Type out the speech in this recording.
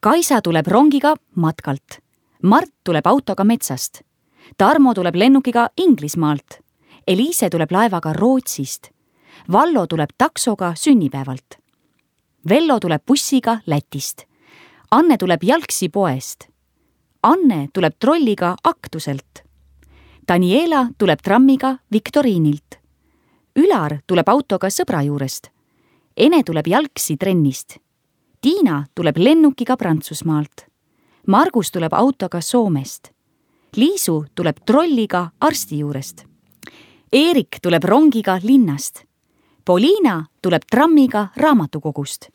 Kaisa tuleb rongiga matkalt. Mart tuleb autoga metsast. Tarmo tuleb lennukiga Inglismaalt. Eliise tuleb laevaga Rootsist. Vallo tuleb taksoga sünnipäevalt. Vello tuleb bussiga Lätist. Anne tuleb jalgsi poest. Anne tuleb trolliga Aktuselt. Daniela tuleb trammiga Viktoriinilt. Ülar tuleb autoga sõbra juurest. Ene tuleb jalgsi trennist. Tiina tuleb lennukiga Prantsusmaalt. Margus tuleb autoga Soomest. Liisu tuleb trolliga arsti juurest. Eerik tuleb rongiga linnast. Poliina tuleb trammiga raamatukogust.